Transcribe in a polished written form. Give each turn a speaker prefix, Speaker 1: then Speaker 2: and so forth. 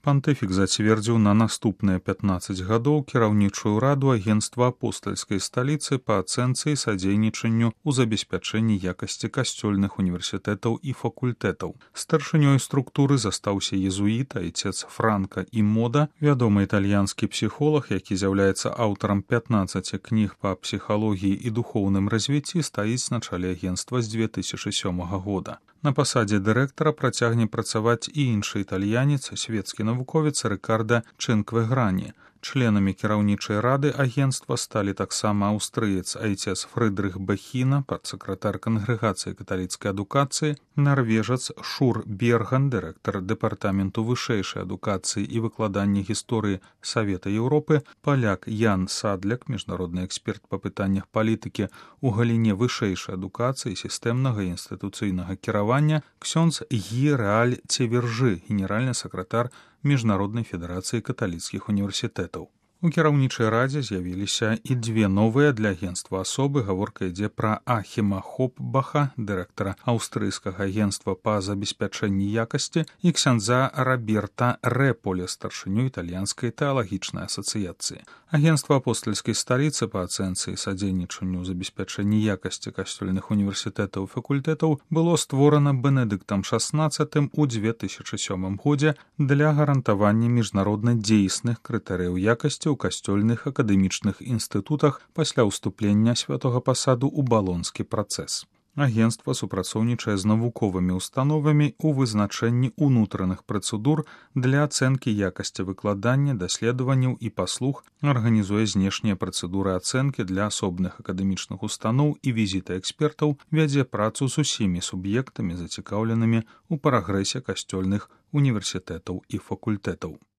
Speaker 1: Пантыфік зацвердзіў на наступныя 15 гадоў кіраўнічую раду агенцтва апостальскай сталіцы па ацэнцы і садзейнічанню ў забеспячэнні якасці касцёльных універсітэтаў і факультэтаў. Старшынёй структуры застаўся езуіт, айцец Франка і Мода, вядомы італьянскі псіхолог, які з'яўляецца аўтарам 15 кніг па псіхалогіі і духоўным развіцці, стаіць на чале агенцтва з 2007 года. На пасадзе дырэктара працягне працаваць і іншы італьянец, свецкі навуковец Рыкарда Чынквеграні. Членамі кіраўнічай рады агенцтва сталі таксама аўстрыец айцец Фрыдрых Бехіна, падсакратар кангрэгацыі каталіцкай адукацыі, нарвежац Шур Берган, дырэктар дэпартаменту вышэйшай адукацыі і выкладання гісторыі Савета Еўропы, паляк Ян Садляк, міжнародны эксперт па пытаннях палітыкі ў галіне вышэйшай адукацыі, сістэмнага і інстытуцыйнага кіравання, ксёндз Гі Рэаль Цевержы, генеральны сакратар Міжнароднай федэрацыі каталіцкіх універсітэтаў. У кіраўнічай радзе з'явіліся і две новыя для агенцтва асобы. Гаворка ідзе пра Ахіма Хопбаха, дырэктара аўстрыйскага агенцтва па забеспячэнні якасці, і ксяндза Раберта Рэполе, старшыню італьянскай тэалагічнай асацыяцыі. Агенцтва апостальскай сталіцы па ацэнцы і садзейнічанню ў забеспячэнні якасці касцёльных універсітэтаў і факультэтаў было створана Бенедыктам XVI у 2007 годзе для гарантавання міжнародна дзейсных крытэрыяў якасці ў касцёльных акадэмічных інстытутах пасля ўступлення святога пасаду ў балонскі працэс. Агенцтва супрацоўнічае з навуковымі установамі ў вызначэнні ўнутраных працэдур для ацэнкі якасці выкладання, даследаванняў і паслуг, арганізуе знешнія працэдуры ацэнкі для асобных акадэмічных устаноў і візіты экспертаў, вядзе працу з усімі суб'ектамі, зацікаўленымі ў прагрэсе касцёльных універсітэтаў і факультэтаў.